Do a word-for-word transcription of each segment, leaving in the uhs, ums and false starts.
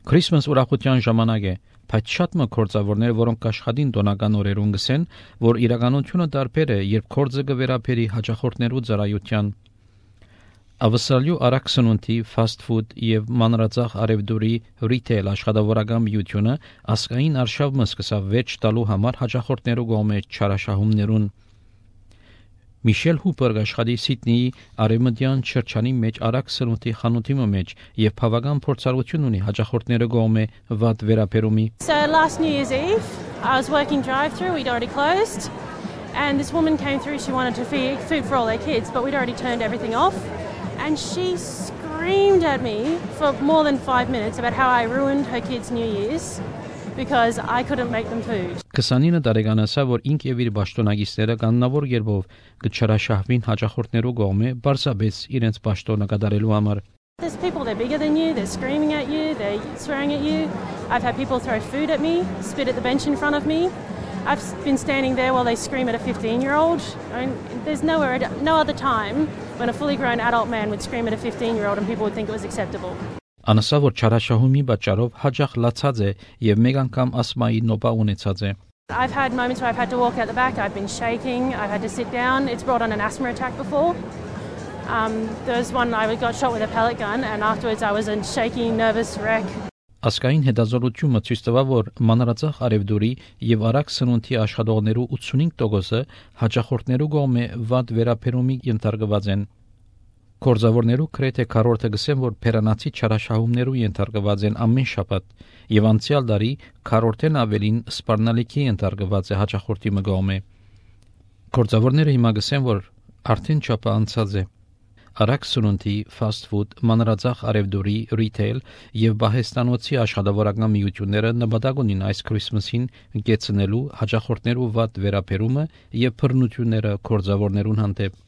Քրիսմաս ուրախության ժամանակ է, բայց շատ մը կորձավորներ, որոնք աշխատին տոնական օրերուն գսեն, որ իրականությունը տարբեր է, երբ կորձը կվերապերի հաճախորդներու ծառայության։ Ավսալյու արագ սնունդի, fast food եւ մանրածախ արևդուրի retail աշխատավորական միությունը ասկային արշավ մը սկսավ վեճ տալու համար հաճախորդներու կողմից չարաշահումներուն։ Միշել Հուպեր աշխատի Սիդնեի արևմտյան չրչանի մեջ արագ սնունդի խանութի մեջ եւ բավական փորձառություն ունի հաճախորդները կողմէ վատ վերապերումի։ So last New Year's Eve, I was working drive-through, we'd already closed, and this woman came through, she wanted to feed food for all their kids, but we'd already turned everything off, and she screamed at me for more than five minutes about how I ruined her kids' New Year's because I couldn't make them food. քսանինը տարեկանացա, որ ինք եւ իր պաշտոնագիստները կանոնավոր երբով կչարաշահվին հաճախորդներու կողմէ բարձաբես իրենց պաշտոնը կատարելու համար։ There's people, they're bigger than you, they're screaming at you, they're swearing at you. I've had people throw food at me, spit at the bench in front of me. I've been standing there while they scream at a fifteen-year-old. I mean, there's nowhere, no other time when a fully grown adult man would scream at a fifteen-year-old and people would think it was acceptable. Անասա որ չարաշահումի պատճառով հաջախ լացած է եւ մեկ անգամ ասմայի նոպա ունեցած է։ I've had moments where I've had to walk out the back, I've been shaking, I've had to sit down. It's brought on an asthma attack before. Um, there was one I got shot with a pellet gun and afterwards I was a shaky, nervous wreck. Ասկային հետազոտությունը ցույց տվավ, որ մանրածախ արևդուրի եւ արագ սնունդի աշխատողներու ութսունհինգ տոկոսը հաճախորդներու կողմէ վատ վերապերումի ենթարկված են։ Կորձավորներու քրեթե քառորդը գսեն, որ փերանացի չարաշահումներու ենթարկված են ամեն շաբաթ եւ անցյալ տարի քառորդեն ավելին սպառնալիքի ենթարկված է հաճախորդի մգոմե։ Կորձավորները հիմա գսեն, որ արդեն չափը անցած է։ Արագ սնունդի, fast food, մանրածախ արևդուրի, retail եւ բահեստանոցի աշխատավորական միությունները նպատակ ունին այս Քրիսմասին գեցնելու հաճախորդներու վատ վերապերումը եւ բռնությունները կորձավորներուն հանդեպ։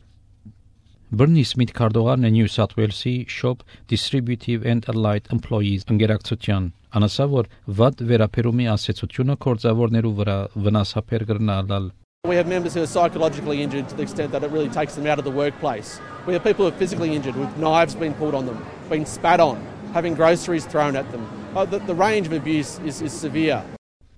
Բրնի Սմիթ քարտուղարն է New South Wales-ի Shop Distributive and Allied Employees ընկերակցության։ Անասա որ վատ վերապերումի ասացությունը կորձավորներու վրա վնասաբեր կրնալալ։ We have members who are psychologically injured to the extent that it really takes them out of the workplace. We have people who are physically injured with knives being pulled on them, being spat on, having groceries thrown at them. Uh, the, the range of abuse is, is severe.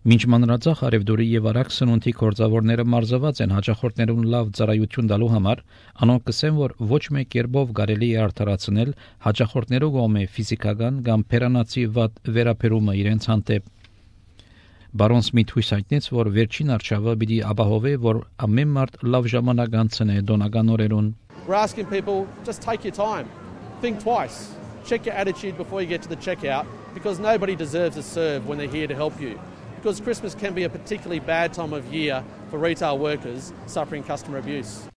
Մինչ մանրածախ արևդուրի եւ արագ սնունդի կորձավորները մարզված են հաճախորդներուն լավ ծառայություն տալու համար, անոնք կսեն, որ ոչ մեկ երբով կարելի է արդարացնել հաճախորդներու կողմէ ֆիզիկական կամ փերանացի վատ վերապերումը իրենց հանդեպ։ Բարոն Սմիթ հույս հայտնեց, որ վերջին արշավը պիտի ապահովի, որ ամեն մարդ լավ ժամանակ անցնե դոնական օրերուն։ We're asking people, just take your time. Think twice. Check your attitude before you get to the checkout because nobody deserves a serve when they're here to help you. Because Christmas can be a particularly bad time of year for retail workers suffering customer abuse.